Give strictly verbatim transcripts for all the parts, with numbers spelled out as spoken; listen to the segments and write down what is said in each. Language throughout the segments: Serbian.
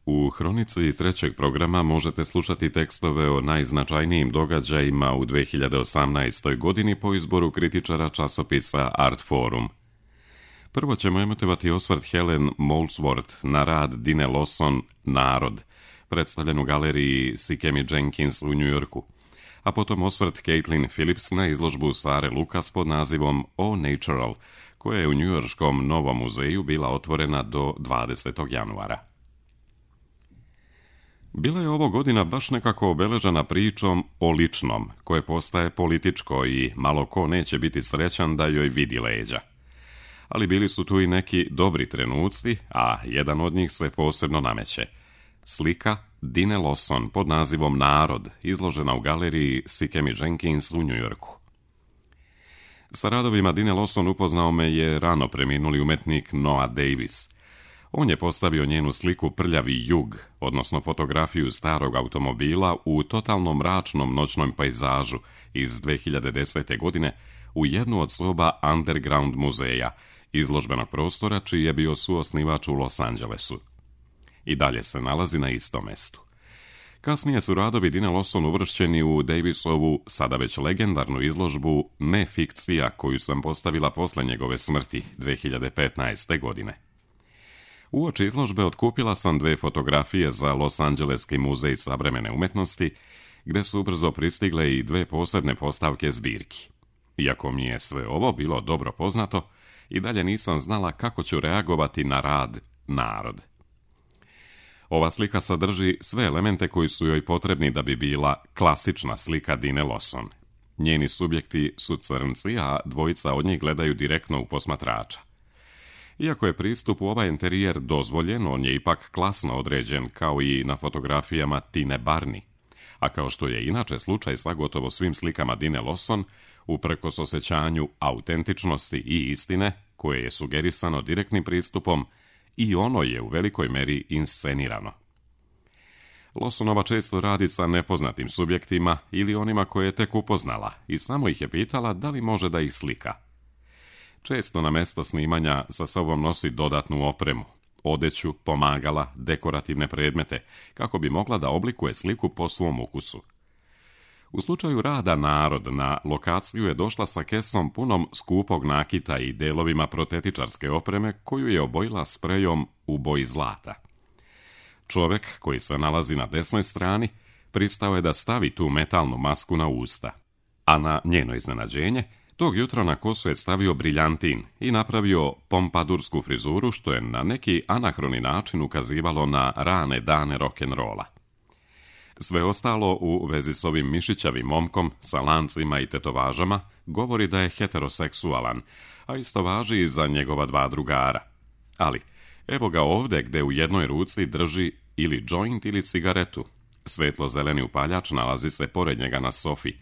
U hronici trećeg programa možete slušati tekstove o najznačajnijim događajima u dve hiljade osamnaestoj. godini po izboru kritičara časopisa Artforum. Prvo ćemo emitovati osvrt Helen Molesworth na rad Dine Lawson Narod, predstavljen u galeriji Sikkemi Jenkins u Njujorku, a potom osvrt Caitlin Phillips na izložbu Sare Lucas pod nazivom O Natural, koja je u Njujorškom Novom muzeju bila otvorena do dvadesetog januara. Bila je ovo godina baš nekako obeležena pričom o ličnom, koje postaje političko i malo ko neće biti srećan da joj vidi leđa. Ali bili su tu i neki dobri trenuci, a jedan od njih se posebno nameće. Slika Dine Lawson pod nazivom Narod, izložena u galeriji Sikkemi Jenkins u Njujorku. Sa radovima Dine Lawson upoznao me je rano preminuli umetnik Noah Davis. On je postavio njenu sliku Prljavi jug, odnosno fotografiju starog automobila u totalno mračnom noćnom pejzažu iz dve hiljade desete. godine u jednu od soba Underground muzeja, izložbenog prostora čiji je bio suosnivač u Los Angelesu. I dalje se nalazi na istom mestu. Kasnije su radovi Dine Lawson uvršćeni u Davisovu, sada već legendarnu izložbu Ne fikcija, koju sam postavila posle njegove smrti dve hiljade petnaeste. godine. Uoči izložbe otkupila sam dve fotografije za Los Angeleski muzej savremene umetnosti, gde su ubrzo pristigle i dve posebne postavke zbirki. Iako mi je sve ovo bilo dobro poznato, i dalje nisam znala kako ću reagovati na rad Narod. Ova slika sadrži sve elemente koji su joj potrebni da bi bila klasična slika Dine Lawson. Njeni subjekti su crnci, a dvojica od njih gledaju direktno u posmatrača. Iako je pristup u ovaj interijer dozvoljen, on je ipak klasno određen, kao i na fotografijama Tine Barney. A kao što je inače slučaj sa gotovo svim slikama Dine Lawson, uprkos osjećanju autentičnosti i istine, koje je sugerisano direktnim pristupom, i ono je u velikoj meri inscenirano. Lawsonova često radi sa nepoznatim subjektima ili onima koje je tek upoznala i samo ih je pitala da li može da ih slika. Često na mesto snimanja sa sobom nosi dodatnu opremu, odeću, pomagala, dekorativne predmete, kako bi mogla da oblikuje sliku po svom ukusu. U slučaju rada Narod na lokaciju je došla sa kesom punom skupog nakita i delovima protetičarske opreme koju je obojila sprejom u boji zlata. Čovjek koji se nalazi na desnoj strani pristao je da stavi tu metalnu masku na usta, a na njeno iznenađenje tog jutra na kosu je stavio briljantin i napravio pompadursku frizuru, što je na neki anahroni način ukazivalo na rane dane rock'n'rolla. Sve ostalo u vezi s ovim mišićavim momkom sa lancima i tetovažama govori da je heteroseksualan, a isto važi i za njegova dva drugara. Ali, evo ga ovdje gde u jednoj ruci drži ili joint ili cigaretu. Svetlo-zeleni upaljač nalazi se pored njega na sofi,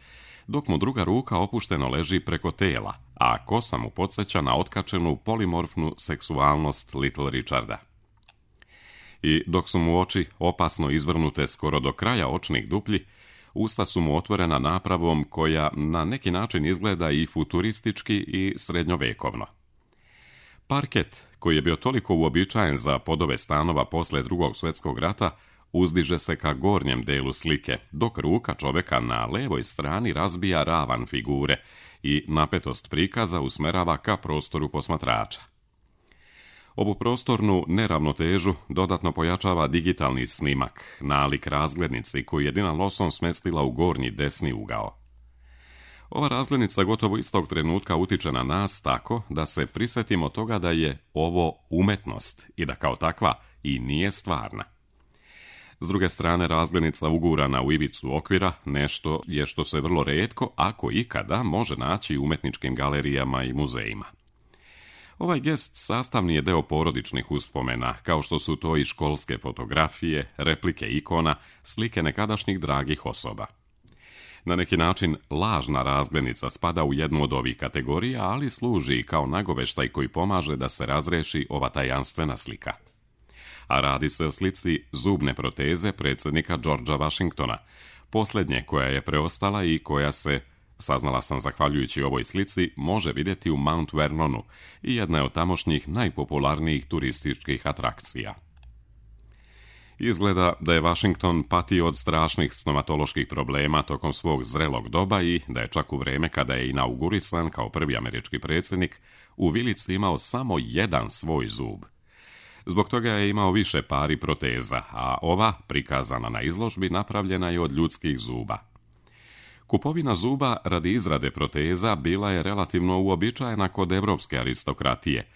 dok mu druga ruka opušteno leži preko tela, a kosa mu podsjeća na otkačenu polimorfnu seksualnost Little Richarda. I dok su mu oči opasno izvrnute skoro do kraja očnih duplji, usta su mu otvorena napravom koja na neki način izgleda i futuristički i srednjovekovno. Parket, koji je bio toliko uobičajen za podove stanova posle drugog svjetskog rata, uzdiže se ka gornjem delu slike, dok ruka čoveka na levoj strani razbija ravan figure i napetost prikaza usmerava ka prostoru posmatrača. Ovu prostornu neravnotežu dodatno pojačava digitalni snimak, nalik razglednici koju je Dina Lawson smestila u gornji desni ugao. Ova razglednica gotovo istog trenutka utiče na nas tako da se prisjetimo toga da je ovo umetnost i da kao takva i nije stvarna. S druge strane, razglednica ugurana u ivicu okvira nešto je što se vrlo retko, ako ikada, može naći u umetničkim galerijama i muzejima. Ovaj gest sastavni je deo porodičnih uspomena, kao što su to i školske fotografije, replike ikona, slike nekadašnjih dragih osoba. Na neki način, lažna razglednica spada u jednu od ovih kategorija, ali služi kao nagoveštaj koji pomaže da se razreši ova tajanstvena slika. A radi se o slici zubne proteze predsjednika Georgea Washingtona, posljednje koja je preostala i koja se, saznala sam zahvaljujući ovoj slici, može vidjeti u Mount Vernonu i jedna je od tamošnjih najpopularnijih turističkih atrakcija. Izgleda da je Washington patio od strašnih stomatoloških problema tokom svog zrelog doba i da je čak u vrijeme kada je inaugurisan kao prvi američki predsjednik u vilici imao samo jedan svoj zub. Zbog toga je imao više pari proteza, a ova, prikazana na izložbi, napravljena je od ljudskih zuba. Kupovina zuba radi izrade proteza bila je relativno uobičajena kod evropske aristokratije,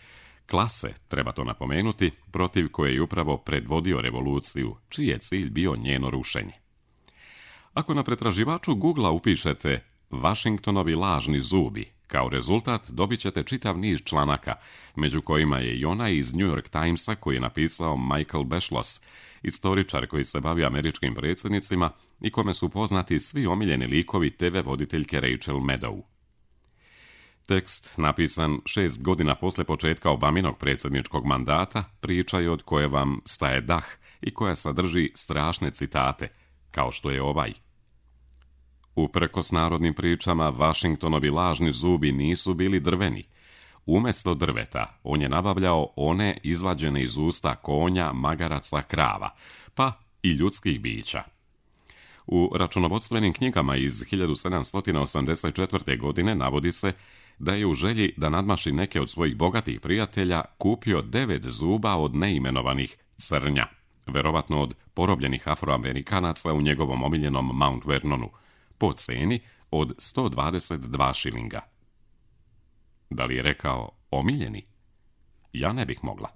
klase, treba to napomenuti, protiv koje je upravo predvodio revoluciju, čiji je cilj bio njeno rušenje. Ako na pretraživaču Googlea upišete Washingtonovi lažni zubi, kao rezultat dobit ćete čitav niz članaka, među kojima je i onaj iz New York Timesa koji je napisao Michael Beschloss, istoričar koji se bavi američkim predsjednicima i kome su poznati svi omiljeni likovi te ve voditeljke Rachel Maddow. Tekst, napisan šest godina posle početka Obaminog predsjedničkog mandata, priča je od koje vam staje dah i koja sadrži strašne citate, kao što je ovaj. Uprkos narodnim pričama, Washingtonovi lažni zubi nisu bili drveni. Umjesto drveta, on je nabavljao one izvađene iz usta konja, magaraca, krava, pa i ljudskih bića. U računovodstvenim knjigama iz hiljadu sedamsto osamdeset četvrte. godine navodi se da je u želji da nadmaši neke od svojih bogatih prijatelja kupio devet zuba od neimenovanih crnja, verovatno od porobljenih Afroamerikanaca u njegovom omiljenom Mount Vernonu, po ceni od sto dvadeset dva šilinga. Da li je rekao omiljeni? Ja ne bih mogla.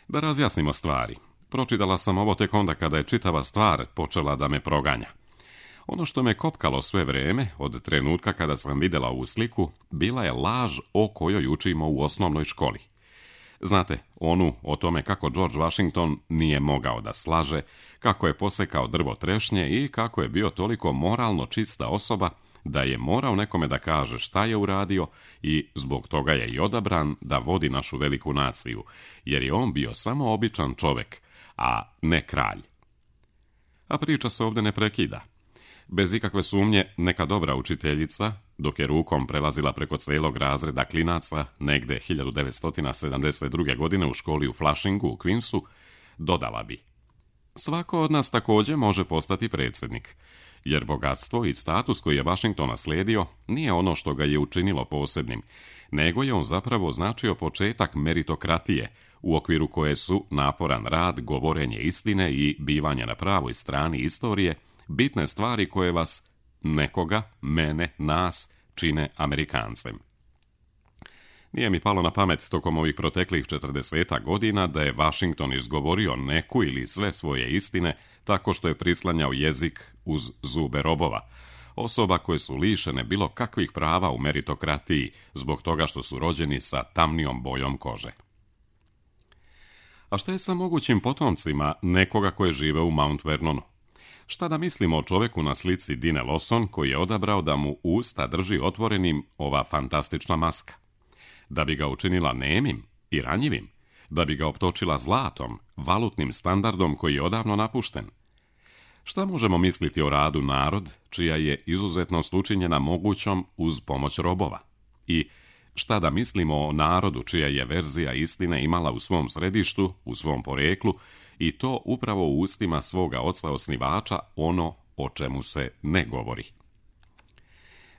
Da razjasnimo stvari. Pročitala sam ovo tek onda kada je čitava stvar počela da me proganja. Ono što me kopkalo sve vrijeme, od trenutka kada sam vidjela ovu sliku, bila je laž o kojoj učimo u osnovnoj školi. Znate, onu o tome kako George Washington nije mogao da slaže, kako je posekao drvo trešnje i kako je bio toliko moralno čista osoba da je morao nekome da kaže šta je uradio i zbog toga je i odabran da vodi našu veliku naciju, jer je on bio samo običan čovjek, a ne kralj. A priča se ovdje ne prekida. Bez ikakve sumnje, neka dobra učiteljica, dok je rukom prelazila preko cijelog razreda klinaca, negde hiljadu devetsto sedamdeset druge. godine u školi u Flushingu u Queensu, dodala bi: svako od nas također može postati predsjednik, jer bogatstvo i status koji je Washington naslijedio nije ono što ga je učinilo posebnim, nego je on zapravo značio početak meritokratije, u okviru koje su naporan rad, govorenje istine i bivanje na pravoj strani istorije bitne stvari koje vas, nekoga, mene, nas, čine Amerikancem. Nije mi palo na pamet tokom ovih proteklih četrdesetak godina da je Washington izgovorio neku ili sve svoje istine tako što je prislanjao jezik uz zube robova, osoba koje su lišene bilo kakvih prava u meritokratiji zbog toga što su rođeni sa tamnijom bojom kože. A šta je sa mogućim potomcima nekoga koje žive u Mount Vernonu? Šta da mislimo o čovjeku na slici Dine Lawson koji je odabrao da mu usta drži otvorenim ova fantastična maska? Da bi ga učinila nemim i ranjivim? Da bi ga optočila zlatom, valutnim standardom koji je odavno napušten? Šta možemo misliti o radu narod, čija je izuzetnost učinjena mogućom uz pomoć robova? I šta da mislimo o narodu čija je verzija istine imala u svom središtu, u svom poreklu, i to upravo u ustima svoga oca osnivača ono o čemu se ne govori?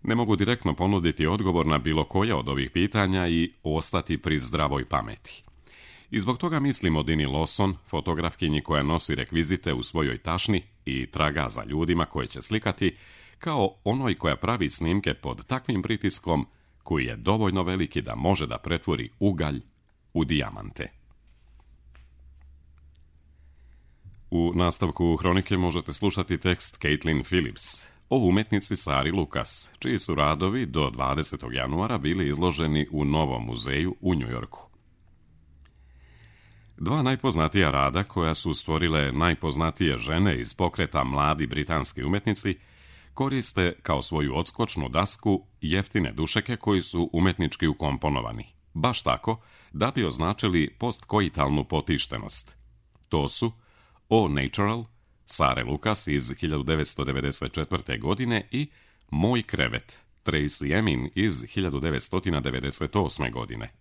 Ne mogu direktno ponuditi odgovor na bilo koje od ovih pitanja i ostati pri zdravoj pameti. I zbog toga mislim o Dini Lawson, fotografkinji koja nosi rekvizite u svojoj tašni i traga za ljudima koje će slikati, kao onoj koja pravi snimke pod takvim pritiskom koji je dovoljno veliki da može da pretvori ugalj u dijamante. U nastavku hronike možete slušati tekst Caitlin Phillips o umetnici Sari Lucas, čiji su radovi do dvadesetog januara bili izloženi u Novom muzeju u New Yorku. Dva najpoznatija rada koja su stvorile najpoznatije žene iz pokreta mladi britanski umetnici koriste kao svoju odskočnu dasku jeftine dušeke koji su umetnički ukomponovani, baš tako da bi označili postkoitalnu potištenost. To su O Natural, Sare Lucas iz hiljadu devetsto devedeset četvrte. godine i Moj krevet, Tracy Emin iz hiljadu devetsto devedeset osme. godine.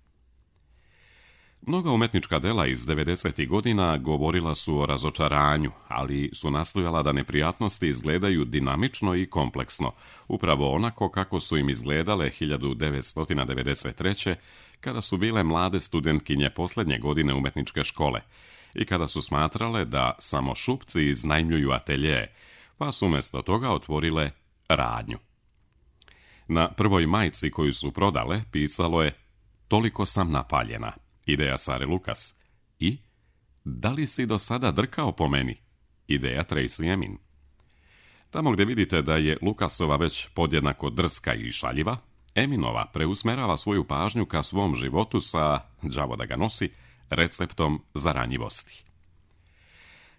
Mnoga umetnička dela iz devedesetih godina govorila su o razočaranju, ali su nastojala da neprijatnosti izgledaju dinamično i kompleksno, upravo onako kako su im izgledale hiljadu devetsto devedeset treće. kada su bile mlade studentkinje posljednje godine umetničke škole i kada su smatrale da samo šupci iznajmljuju atelje, pa su umjesto toga otvorile radnju. Na prvoj majici koju su prodale pisalo je "Toliko sam napaljena", ideja Sare Lucas, i "Da li si do sada drkao po meni?", ideja Tracy Emin. Tamo gdje vidite da je Lucasova već podjednako drska i šaljiva, Eminova preusmerava svoju pažnju ka svom životu sa, đavo da ga nosi, receptom za ranjivosti.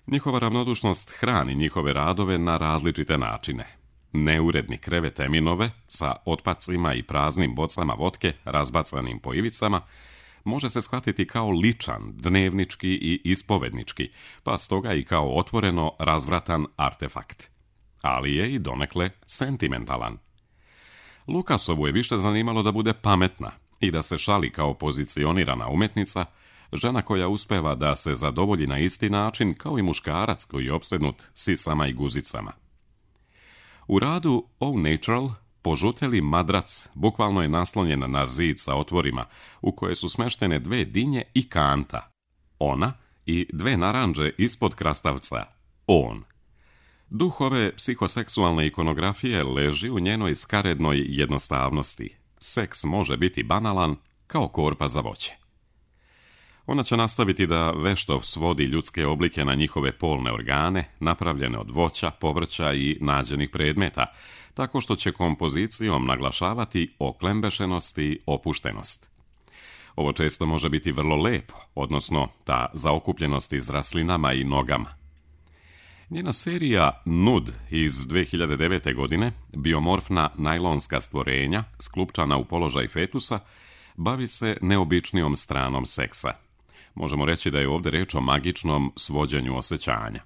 Njihova ravnodušnost hrani njihove radove na različite načine. Neuredni krevet Eminove sa otpacima i praznim bocama votke razbacanim po ivicama može se shvatiti kao ličan, dnevnički i ispovednički, pa stoga i kao otvoreno razvratan artefakt. Ali je i donekle sentimentalan. Lucasovu je više zanimalo da bude pametna i da se šali kao pozicionirana umetnica, žena koja uspeva da se zadovolji na isti način kao i muškarac koji je opsednut sisama i guzicama. U radu Au Natural požuteli madrac bukvalno je naslonjen na zid sa otvorima u koje su smeštene dve dinje i kanta. Ona i dve naranđe ispod krastavca. On. Duh ove psihoseksualne ikonografije leži u njenoj skarednoj jednostavnosti. Seks može biti banalan kao korpa za voće. Ona će nastaviti da vešto svodi ljudske oblike na njihove polne organe, napravljene od voća, povrća i nađenih predmeta, tako što će kompozicijom naglašavati oklembešenost i opuštenost. Ovo često može biti vrlo lepo, odnosno ta zaokupljenost izraslinama i nogama. Njena serija Nud iz dve hiljade devete. godine, biomorfna najlonska stvorenja, sklupčana u položaj fetusa, bavi se neobičnijom stranom seksa. Možemo reći da je ovdje reč o magičnom svođenju osjećanja.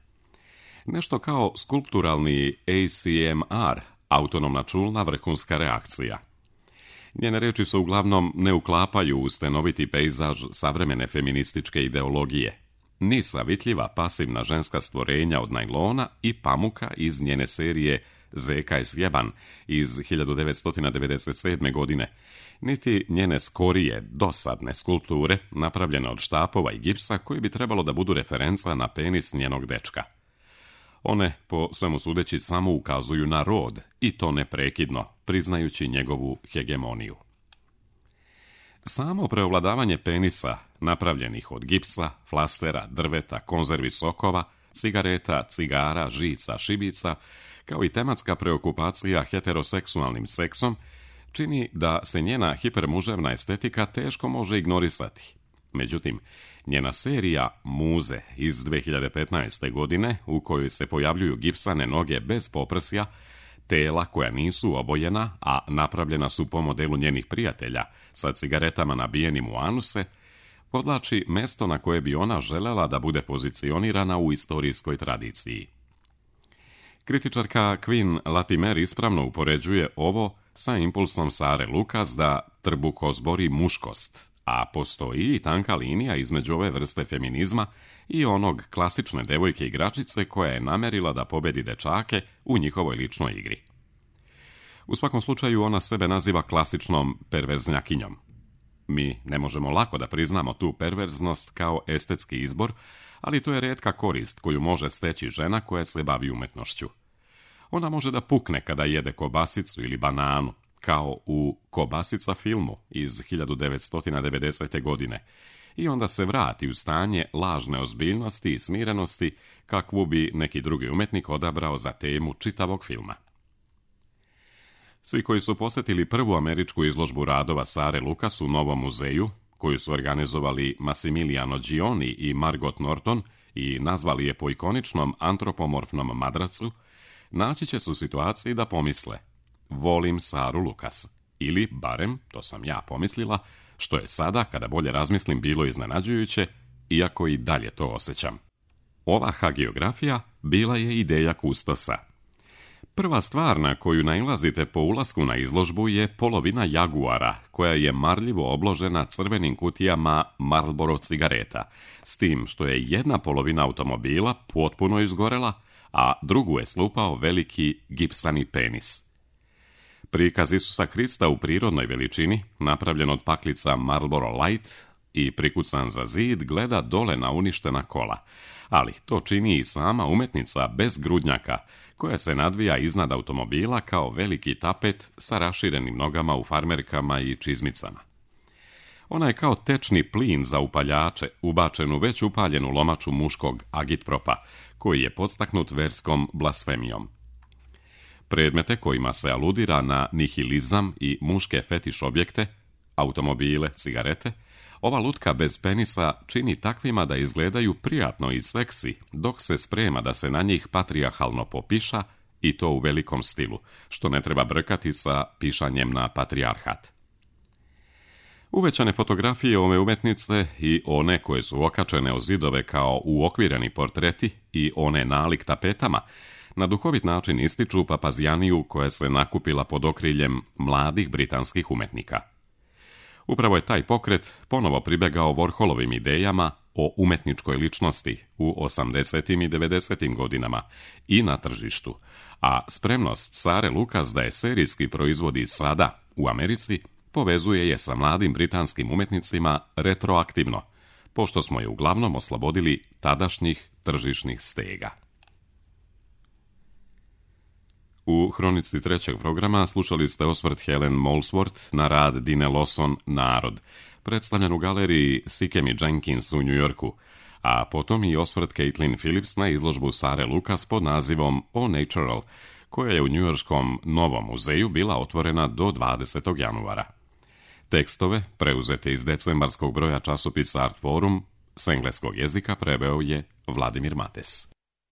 Nešto kao skulpturalni A C M R, autonomna čulna vrhunska reakcija. Njene reči se uglavnom ne uklapaju u stenoviti pejzaž savremene feminističke ideologije, ni savitljiva pasivna ženska stvorenja od najlona i pamuka iz njene serije Zeka je sjeban iz hiljadu devetsto devedeset sedme. godine, niti njene skorije, dosadne skulpture napravljene od štapova i gipsa koji bi trebalo da budu referenca na penis njenog dečka. One, po svemu sudeći, samo ukazuju na rod, i to neprekidno, priznajući njegovu hegemoniju. Samo preovladavanje penisa, napravljenih od gipsa, flastera, drveta, konzervi sokova, cigareta, cigara, žica, šibica, kao i tematska preokupacija heteroseksualnim seksom, čini da se njena hipermuževna estetika teško može ignorisati. Međutim, njena serija Muze iz dve hiljade petnaeste. godine, u kojoj se pojavljuju gipsane noge bez poprsja, tela koja nisu obojena, a napravljena su po modelu njenih prijatelja, sa cigaretama nabijenim u anuse, podlači mesto na koje bi ona želela da bude pozicionirana u istorijskoj tradiciji. Kritičarka Queen Latimer ispravno upoređuje ovo sa impulsom Sare Lucas da trbuhozbori muškost, a postoji i tanka linija između ove vrste feminizma i onog klasične devojke igračice koja je namerila da pobedi dečake u njihovoj ličnoj igri. U svakom slučaju ona sebe naziva klasičnom perverznjakinjom. Mi ne možemo lako da priznamo tu perverznost kao estetski izbor, ali to je rijetka korist koju može steći žena koja se bavi umetnošću. Ona može da pukne kada jede kobasicu ili bananu, kao u Kobasica filmu iz hiljadu devetsto devedesete. godine, i onda se vrati u stanje lažne ozbiljnosti i smirenosti kakvu bi neki drugi umetnik odabrao za temu čitavog filma. Svi koji su posjetili prvu američku izložbu radova Sare Lucas u Novom muzeju, koju su organizovali Massimiliano Gioni i Margot Norton i nazvali je po ikoničnom antropomorfnom madracu, naći će se u situaciji da pomisle: volim Saru Lucas. Ili, barem, to sam ja pomislila, što je sada, kada bolje razmislim, bilo iznenađujuće, iako i dalje to osjećam. Ova hagiografija bila je ideja kustosa. Prva stvar na koju nailazite po ulasku na izložbu je polovina Jaguara, koja je marljivo obložena crvenim kutijama Marlboro cigareta, s tim što je jedna polovina automobila potpuno izgorela, a drugu je slupao veliki gipsani penis. Prikaz Isusa Hrista u prirodnoj veličini, napravljen od paklica Marlboro Light i prikucan za zid, gleda dole na uništena kola, ali to čini i sama umetnica bez grudnjaka, koja se nadvija iznad automobila kao veliki tapet sa raširenim nogama u farmerkama i čizmicama. Ona je kao tečni plin za upaljače, ubačen u već upaljenu lomaču muškog agitpropa, koji je podstaknut verskom blasfemijom. Predmete kojima se aludira na nihilizam i muške fetiš objekte, automobile, cigarete, ova lutka bez penisa čini takvima da izgledaju prijatno i seksi, dok se sprema da se na njih patrijarhalno popiša, i to u velikom stilu, što ne treba brkati sa pišanjem na patrijarhat. Uvećane fotografije ove umetnice i one koje su okačene o zidove kao uokvireni portreti i one nalik tapetama, na duhovit način ističu papazijaniju koja se nakupila pod okriljem mladih britanskih umetnika. Upravo je taj pokret ponovo pribegao Warholovim idejama o umetničkoj ličnosti u osamdesetim i devedesetim godinama i na tržištu, a spremnost Sare Lucas da je serijski proizvodi sada u Americi povezuje je sa mladim britanskim umetnicima retroaktivno, pošto smo je uglavnom oslobodili tadašnjih tržišnih stega. U hronici trećeg programa slušali ste osvrt Helen Molesworth na rad Dine Lawson Narod, predstavljen u galeriji Sikem i Jenkins u Njujorku, a potom i osvrt Caitlin Phillips na izložbu Sare Lucas pod nazivom O Natural, koja je u njujorškom Novom muzeju bila otvorena do dvadesetog januara. Tekstove, preuzete iz decembarskog broja časopisa Art Forum, s engleskog jezika preveo je Vladimir Mates.